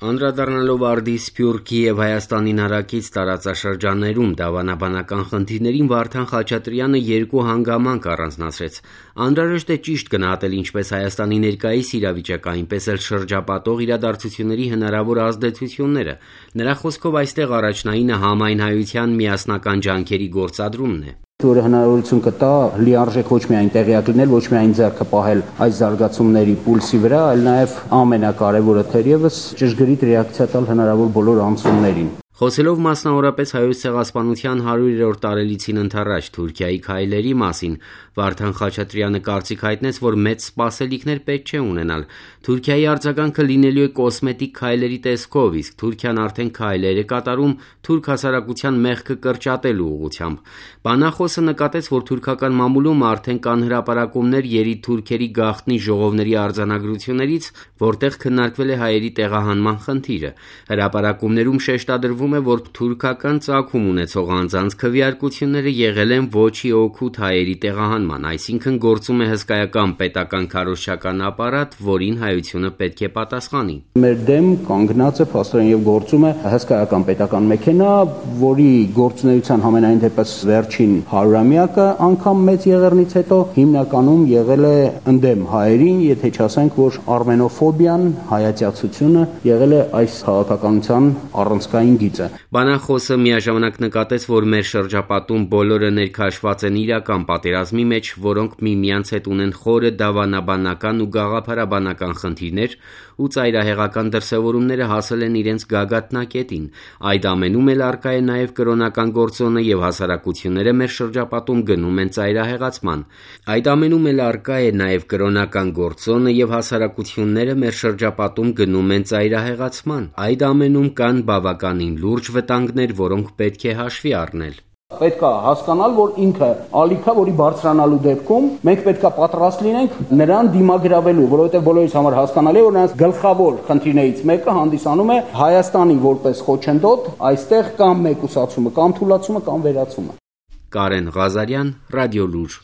Անդրադառնալով արդի Սփյուռքի և Հայաստանին հարակից տարածաշրջաններում դավանաբանական խնդիրներին Վարդան Խաչատրյանը երկու հանգամանք առանձնացրեց: Անհրաժեշտ է ճիշտ գնահատել ինչպես Հայաստանի ներկայիս իրավիճակը, այնպես էլ շրջապատող իրադարձությունների հնարավոր ազդեցությունները: Նրա խոսքով այստեղ առաջնայինը համայնայնության միասնական ջանքերի գործադրումն է: Որը հնարավորություն կտա լիարժեք ոչ միայն տեղյակ լինել, ոչ միայն ձեռքը պահել այս զարգացումների պուլսի վրա, այլ նաև ամենակարևորը թերևս ճշգրիտ ռեակցիա տալ հնարավոր բոլոր անցումներին: Խոսելով մասնավորապես Հայոց ցեղասպանության 100-րդ տարելիցին ընդառաջ Թուրքիայի քայլերի մասին, Վարդան Խաչատրյանը կարծիք հայտնեց, որ մեծ սպասելիքներ պետք չէ ունենալ: Թուրքիայի արձագանքը լինելու է կոսմետիկ քայլերի տեսքով, իսկ Թուրքիան արդեն քայլեր է կատարում թուրք հասարակության մեղքը կրճատելու ուղղությամբ: Բանախոսը նկատեց, որ թուրքական մամուլում արդեն կան հրապարակումներ եռի-թուրքերի գաղտնի ժողովների արձանագրություններից, որտեղ քննարկվել է հայերի տեղահանման խնդիրը: Հրապարակումներում շեշտադրվում է, որ թուրքական ծագում ունեցող անձանց քվեարկությունները եղել են ոչ օգուտ հայերի տեղահանման, այսինքն գործում է հսկայական պետական քարոզչական ապարատ, որին հայությունը պետք է պատասխանի: Մեր դեմ կանգնած է փաստորեն և գործում է հսկայական պետական մեքենա, որի գործունեության համենայն դեպս վերջին 100-ամյակը անգամ Մեծ Եղեռնից հետո հիմնականում եղել է ընդդեմ հայերին, եթե չասենք, որ արմենոֆոբիան, հայատյացությունը եղել է այս քաղաքականության առանցքային գիծը: Բանախոսը միաժամանակ նկատեց, որ մեր շրջապատում բոլորը ներքաշված են իրական պատերազմի մեջ, որոնք միմյանց հետ ունեն խորը դավանաբանական ու գաղափարաբանական խնդիրներ ու ծայրահեղական դրսևորումները հասել են իրենց գագաթնակետին: Այդ ամենում էլ առկա է նաև կրոնական գործոնը և հասարակությունները մեր շրջապատում գնում են ծայրահեղացման: Այդ ամենում կան բավականին լուրջ վտանգներ, որոնք պետք է հաշվի առնել: Պետք է հասկանալ, որ ինքը ալիք է, որի բարձրանալու դեպքում մենք պետք է պատրաստ լինենք նրան դիմագրավելու, որովհետև բոլորիս համար հասկանալի է, որ նրանց գլխավոր խնդիրներից մեկը հանդիսանում է Հայաստանի որպես խոչընդոտ այստեղ կամ մեկուսացումը, կամ թուլացումը, կամ վերացումը: Կարեն Ղազարյան, Ռադիոլուր